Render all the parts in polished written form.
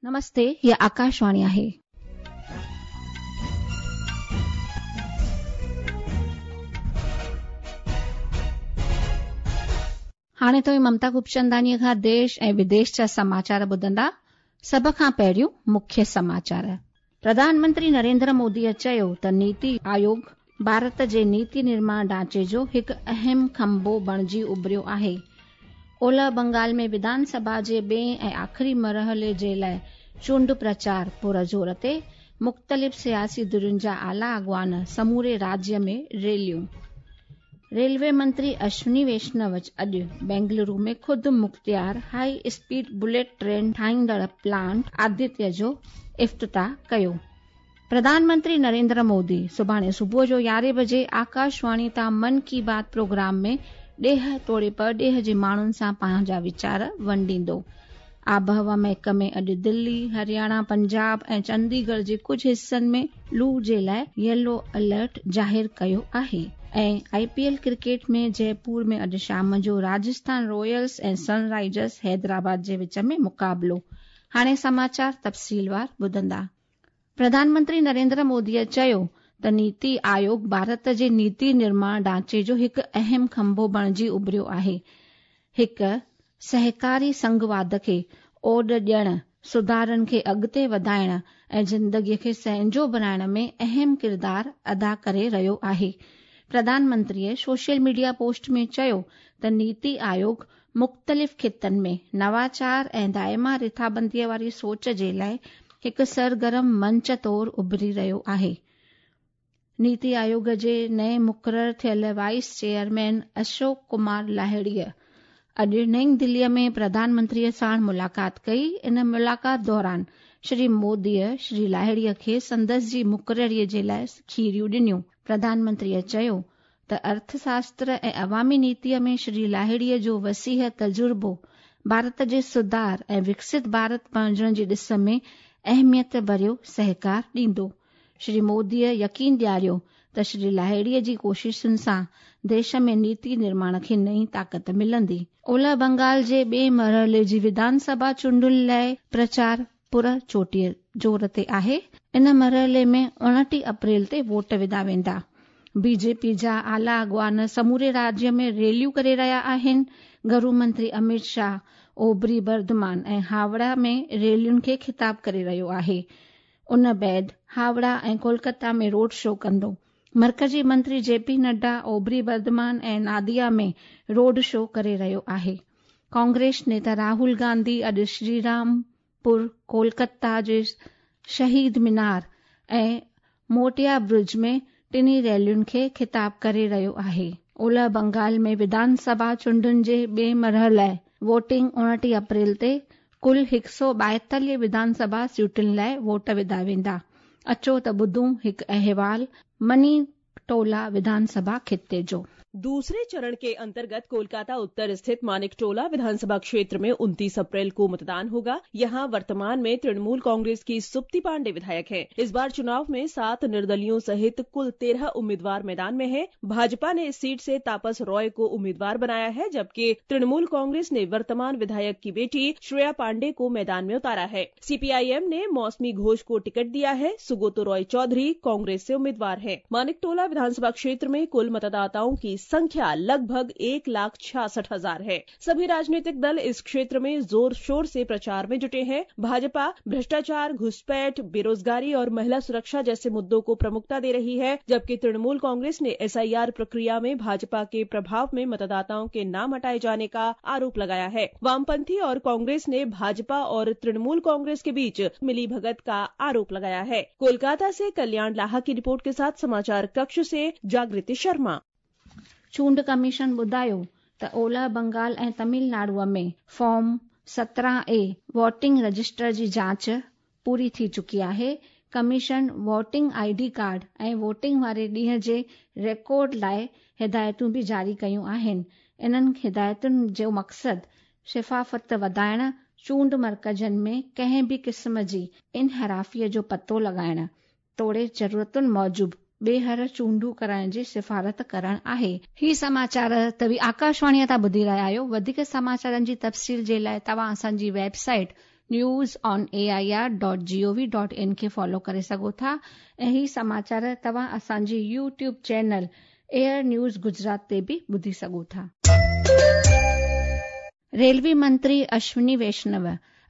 नमस्ते, ही आकाशवाणी आहे. हाणे तव्हीं ममता खूबचंदानीअ खां देश ऐं विदेश जा समाचार ॿुधंदा। सभ खां पहिरियों मुख्य समाचार। प्रधानमंत्री नरेंद्र मोदीअ चयो त नीति आयोग भारत जे नीति निर्माण ढांचे जो हिकु अहम खंभो बणिजी उभरियो आहे। ओलह बंगाल में विधानसभा जे ॿिए ऐं आख़िरी मरहले जे लाइ चूंड प्रचार पुरज़ोर ते, मुख़्तलिफ़ सियासी धुरियुनि जा आला अॻवान समूरे राज्य में रैलियूं। रेलवे मंत्री अश्विनी वैष्णव अॼु बेंगलुरु में ख़ुदि मुख़्तियार हाई स्पीड बुलेट ट्रेन ठाहींदड़ प्लांट आदित्य जो इफ़्तिताह कयो। प्रधानमंत्री नरेंद्र मोदी सुभाणे सुबुह जो यारहें बजे आकाशवाणी तां मन की बात प्रोग्राम में ॾेह तोड़े परॾेह जे माण्हुनि सां पंहिंजा वीचार वंडींदो। आबहवा महकमे अॼु दिल्ली, हरियाणा, पंजाब ऐं चंडीगढ़ जे कुझु हिसनि में लू जे लाइ येलो अलर्ट ज़ाहिर कयो आहे। ऐं आईपीएल क्रिकेट में जयपुर में अॼु शाम जो राजस्थान रॉयल्स ऐं सनराइजर्स हैदराबाद जे विच में मुक़ाबिलो। हाणे समाचार तफ़सीलवार ॿुधंदा। प्रधानमंत्री नरेंद्र मोदीअ चयो त नीति आयोग भारत जे नीति निर्माण ढांचे जो हिकु अहम खंभो बणिजी उभरियो आहे। हिकु सहकारी संघवाद खे ओॾ ॾियण, सुधारनि खे अॻिते वधाइण ऐं ज़िंदगीअ खे सहंजो बणाइण में अहम किरदार अदा करे रहियो आहे। प्रधानमंत्रीअ सोशल मीडिया पोस्ट में चयो त नीति आयोग मुख़्तलिफ़ ख़ितनि में नवाचार ऐं दाइमा रिथाबंदीअ वारी सोच जे लाइ हिकु सरगर्म मंच तौरु उभरी रहियो आहे। नीति आयोग जे नए मुक़ररु थियल वाइस चेयरमैन अशोक कुमार लाहिड़ीअ अॼु नई दिल्लीअ में प्रधानमंत्रीअ साण मुलाक़ात कई। इन मुलाक़ात दौरान श्री मोदीअ श्री लाहिड़ीअ खे संदसि जी मुक़ररीअ जे लाइ खीरियूं ॾिनियूं। प्रधानमंत्रीअ चयो त अर्थशास्त्र ऐं अवामी नीतीअ में श्री लाहिड़ीअ जो वसीह तजुर्बो भारत जे सुधार ऐं विकसित भारत बणिजण जी ॾिस में अहमियत भरियो सहकार ॾींदो। श्री मोदीअ यकीन ॾियारियो त श्री लाहिड़ीअ जी कोशिशुनि सां देश में नीति निर्माण खे नई ताक़त मिलंदी। ओलह बंगाल जे ॿिए मरहले जी विधानसभा चूंडुनि लाइ प्रचार पुर चोटीअ ज़ोर ते आहे। इन मरहले में 29 अप्रैल ते वोट विधा वेंदा। बीजेपी जा आला अॻवान समूरे राज्य में रैलियूं करे रहिया आहिनि। घरू मंत्री अमित शाह ओबरी बर्धमान ऐं हावड़ा में रैलियुनि खे ख़िताब करे रहियो आहे। उन बाद हावड़ा ऐं कोलकाता में रोड शो कंदो। मर्कज़ी मंत्री जेपी नड्डा ओबरी बर्धमान ऐं नादिया में रोड शो करे रहियो आहे। कांग्रेस नेता राहुल गांधी अॼु श्रीरामपुर, कोलकाता जे शहीद मीनार ऐं मोटिया ब्रिज में टिनी रैलियुनि खे ख़िताब करे रहियो आहे। ओलह बंगाल में विधानसभा चूंडुनि जे ॿिए मरहले लाइ वोटिंग 29 अप्रैल ते कुल 142 विधानसभा सीटुनि लाइ वोट विधा वेंदा। अचो त ॿुधूं हिकु अहवाल मनीटोला विधानसभा ख़िते जो। दूसरे चरण के अंतर्गत कोलकाता उत्तर स्थित मानिकटोला विधानसभा क्षेत्र में 29 अप्रैल को मतदान होगा। यहां वर्तमान में तृणमूल कांग्रेस की सुप्ति पांडे विधायक हैं। इस बार चुनाव में 7 निर्दलियों सहित कुल 13 उम्मीदवार मैदान में हैं। भाजपा ने इस सीट से तापस रॉय को उम्मीदवार बनाया है, जबकि तृणमूल कांग्रेस ने वर्तमान विधायक की बेटी श्रेया पांडे को मैदान में उतारा है। सीपीआईएम ने मौसमी घोष को टिकट दिया है। सुगोतो रॉय चौधरी कांग्रेस से उम्मीदवार है। मानिकटोला विधानसभा क्षेत्र में कुल मतदाताओं की संख्या लगभग 1,66,000 है। सभी राजनीतिक दल इस क्षेत्र में जोर शोर से प्रचार में जुटे हैं। भाजपा भ्रष्टाचार, घुसपैठ, बेरोजगारी और महिला सुरक्षा जैसे मुद्दों को प्रमुखता दे रही है, जबकि तृणमूल कांग्रेस ने एसआईआर प्रक्रिया में भाजपा के प्रभाव में मतदाताओं के नाम हटाए जाने का आरोप लगाया है। वामपंथी और कांग्रेस ने भाजपा और तृणमूल कांग्रेस के बीच मिलीभगत का आरोप लगाया है। कोलकाता से कल्याण लाहा की रिपोर्ट के साथ समाचार कक्ष से जागृति शर्मा। चूंड कमीशन ॿुधायो त ओलह बंगाल ऐं तमिलनाडुअ में फॉर्म 17A voting register जी जांच पूरी थी चुकी आहे। कमीशन वोटिंग आईडी कार्ड ऐं वोटिंग वारे ॾींहं जे रिकॉर्ड लाइ हिदायतूं बि जारी कयूं आहिनि। इन्हनि हिदायतुनि जो मक़सदु शफ़ाफ़त वधाइण, चूंड मर्कज़नि में कंहिं बि क़िस्म जी इनहिराफ़ीअ जो पतो लॻाइण तोड़े ज़रूरतुनि मूजिबि ॿीहर चूंडूं कराइण जी सिफारत करण आहे। ही समाचार तव्हीं आकाशवाणीअ तां ॿुधी रहिया आहियो। वधीक समाचारनि जी तफ़सील जे लाइ तव्हां असांजी website News on A I R dot G O V dot in کي فالو ڪري سگهو ٿا ۽ هي سماچار توهان اسان جي YouTube channel AIR news Gujarat تي به ٻڌي سگهو ٿا. ريلوي منتري اشوني ويشنو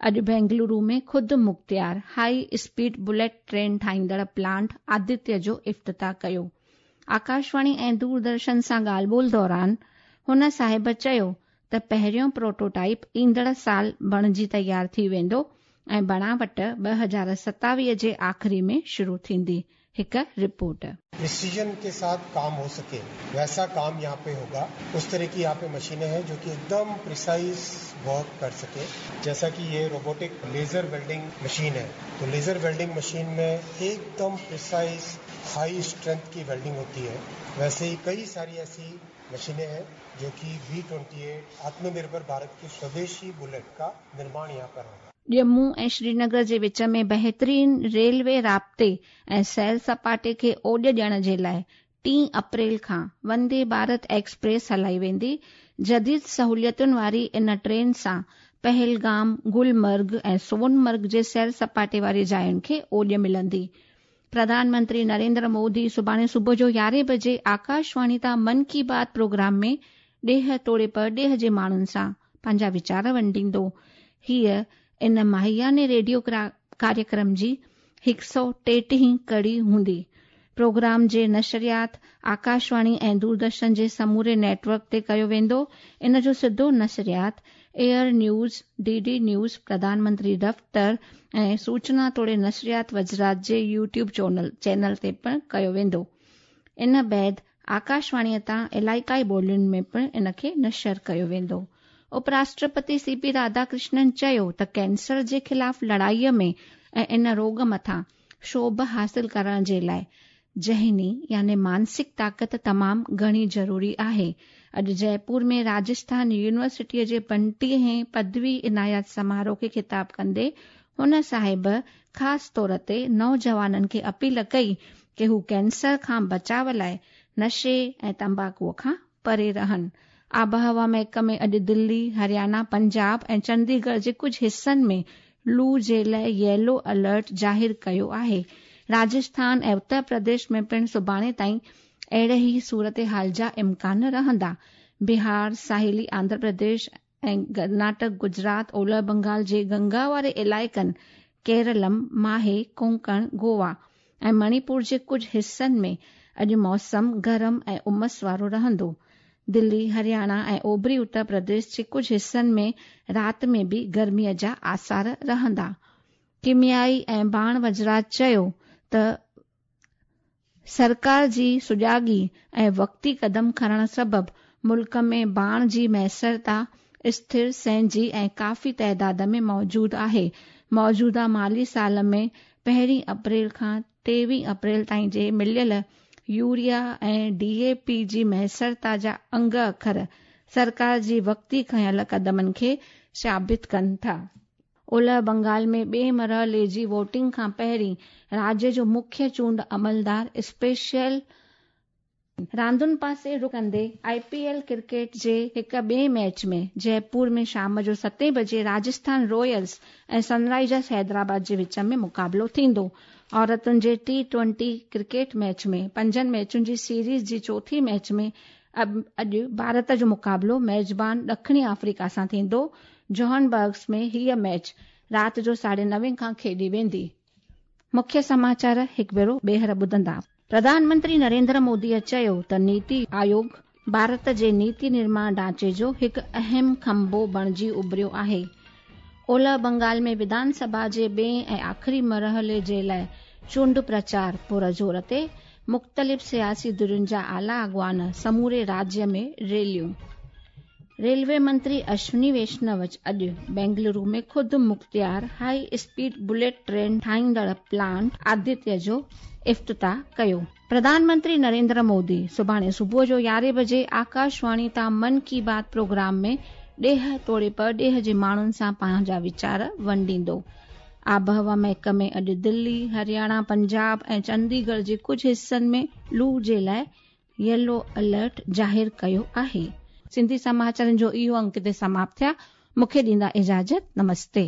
اڄ بينگلورو ۾ خود مختيار هائي اسپيڊ بليٽ ٽرين ٺاهيندڙ پلانٽ آدتيه جو افتتاح ڪيو. آڪاشواڻي ۽ دوردرشن سان ڳالهه ٻولهه دوران هن صاحب چيو ته پهريون پروٽوٽائپ ايندڙ سال بڻجي تيار ٿي ويندو ۽ بڻاوٽ 2027 جي آخري ۾ شروع ٿيندي. هڪ رپورٽ. پريسيجن ڪي ساٿ ڪام هو سڪي ويسا ڪام يهان پي هوگا اس طرح ڪي يهان پي مشينين هين جو ڪي ايڪدم پريسائيز ورڪ ڪر سڪي جيسا ڪي يي روبوٽڪ ليزر ويلڊنگ مشين هي تو ليزر ويلڊنگ مشين مين ايڪدم پريسائيز هائي اسٽرينٿ ڪي ويلڊنگ هوتي هي ويسي هي ڪئي ساري ايسي مشينين هين جو ڪي وي 28 آتم نرڀر ڀارت ڪي سوديشي بليٽ ڪا نرماڻ يهان پر هوگا. ڄمون ۽ شرينگر جي وچ ۾ بهترين ريلوي رابطي ۽ سير سپاٽي کي اوڄ ڏيڻ جي لاء ٽين اپريل کان وندي ڀارت ايڪسپريس هلائي ويندي. جديد سهوليتن واري ان ٽرين سان پهلگام، گلمرگ ۽ سونمرگ جي سير سپاٽي واري جاين کي اوڄ ملندي. پرڌان منتري نريندر مودي سڀاڻي صبح جو يارهين بجي آڪاشواڻي تان من ڪي بات پروگرام ۾ ڏيهه توڙي پرڏيهه جي ماڻهن سان پنهنجا ويچار ونڊيندو. هيء ان ماهياني ريڊيو ڪاريڪرم جي هڪ سئو ٽيٽيهين ڪڙي هوندي. پروگرام جي نشريات آڪاشواڻي ۽ دوردرشن جي سموري نيٽ ورڪ تي ڪيو ويندو. ان جو سڌو نشريات AIR news, D D news, Pradhan Mantri دفتر ۽ سوچنا توڙي نشريات وزرات جي يوٽيوب چينل تي پڻ ڪيو ويندو. ان بعد آڪاشواڻيء تان علائقائي ٻولين ۾ پڻ ان کي نشر ڪيو ويندو. اپ راشٽرپتي سي پي راڌاڪرشنن چيو ته ڪينسر جي خلاف لڙائيء ۾ ۽ ان روڳ مٿان شوڀ حاصل ڪرڻ جي لاء ذهني يعني مانسڪ طاقت تمام گهڻي ضروري آهي. اڄ جئپور ۾ راجسٿان يونيورسٽيء جي پنٽيهين پدوي عنايات سماروهه کي خطاب ڪندي هن صاحب خاص طور تي نوجوانن کي اپيل ڪئي ڪي هو ڪينسر کان بچاء لاء نشي ۽ تمباڪوء کان پري رهن. آبهوا محڪمي اڄ دلي، هريانا، پنجاب ۽ چنديڳڙهه جي ڪجهه حصن ۾ لو جي لاء ييلو الرٽ ظاهر ڪيو آهي. راجسٿان ۽ اتر پرديش ۾ پڻ سڀاڻي تائين اهڙي ئي صورتحال جا امڪان رهندا. بهار، ساحلي آنڌرا پرديش ۽ ڪرناٽڪ، گجرات، اولهه بنگال جي گنگا واري علائقن، ڪيرلم، ماهي، ڪونڪڻ، گوا ۽ مڻيپور جي ڪجهه حصن ۾ اڄ موسم گرم ۽ امس وارو رهندو. دلي، هرياڻا ۽ اوڀري اتر پرديش جي ڪجهه حصن ۾ رات ۾ به گرمي جا آثار رهندا. ڪيميائي ۽ ڀاڻ وزارت چيو ته سرڪار جي سجاڳي ۽ وقتي قدم کڻڻ سبب ملڪ ۾ ڀاڻ جي ميسرتا اسٿر، سهنجي ۽ ڪافي تعداد ۾ موجود آهي. موجوده مالي سال ۾ پهرين اپريل کان ٽيويهه اپريل تائين جي مليل يوريا ۽ ڊي اي پي جي ميسرتا جا انگ اکر سرڪار جي وقتي کنيل قدمن کي ثابت ڪن ٿا. اولهه بنگال ۾ ٻئي مرحلي جي ووٽنگ کان پهرين راڄ جو مکيه چونڊ عملدار اسپيشل راندن پاسي رخ ڪندي آء پي ايل ڪرڪيٽ جي هڪ ٻئي ميچ ۾ جئپور ۾ شام جو ستين بجي راجسٿان رويلز ۽ سن رائيزرز حيدرآباد جي وچ ۾ مقابلو ٿيندو. عورتن جي ٽي ٽوئنٽي ڪرڪيٽ ميچ ۾ پنجن ميچن جي سيريز جي چوٿين ميچ ۾ اڄ ڀارت جو مقابلو ميزبان ڏکڻي آفريڪا سان ٿيندو. جوهانبرگس ۾ هيء ميچ رات جو ساڍي نوين کان کيڏي ويندي. مکيه سماچار هڪ ڀيرو ٻيهر ٻڌندا. پرڌان منتري نريندر موديء چيو ته نيتي آيوگ ڀارت جي نيتي نرماڻ ڍانچي جو هڪ اهم کنڀو بڻجي اڀريو آهي. اولهه بنگال ۾ وڌان سڀا جي ٻئين ۽ آخري مرحلي جي لاء چونڊ پرچار پرزور تي، مختلف سياسي ڌرين جا اعليٰ اڳواڻ سموري راجيه ۾ ريليون. ريلوي منتري اشوني ويشنو اڄ بينگلورو ۾ خود مختيار هائي اسپيڊ بليٽ ٽرين ٺاهيندڙ پلانٽ آدتيه جو افتتاح ڪيو. پرڌان منتري نريندر مودي سڀاڻي صبح جو يارهين بجي آڪاشواڻي تان من ڪي بات پروگرام ۾ ڏيهه توڙي پرڏيهه جي ماڻهن سان پنهنجا ويچار ونڊيندو. آبهوا محڪمي اڄ دلي، هرياڻا، پنجاب ۽ چنديڳڙهه جي ڪجهه حصن ۾ لو جي لاء ييلو الرٽ ظاهر ڪيو آهي. سنڌي سماچارن جو اهو انڪ هتي سماپت ٿيا. مون کي ڏيندا اجازت. نمستي.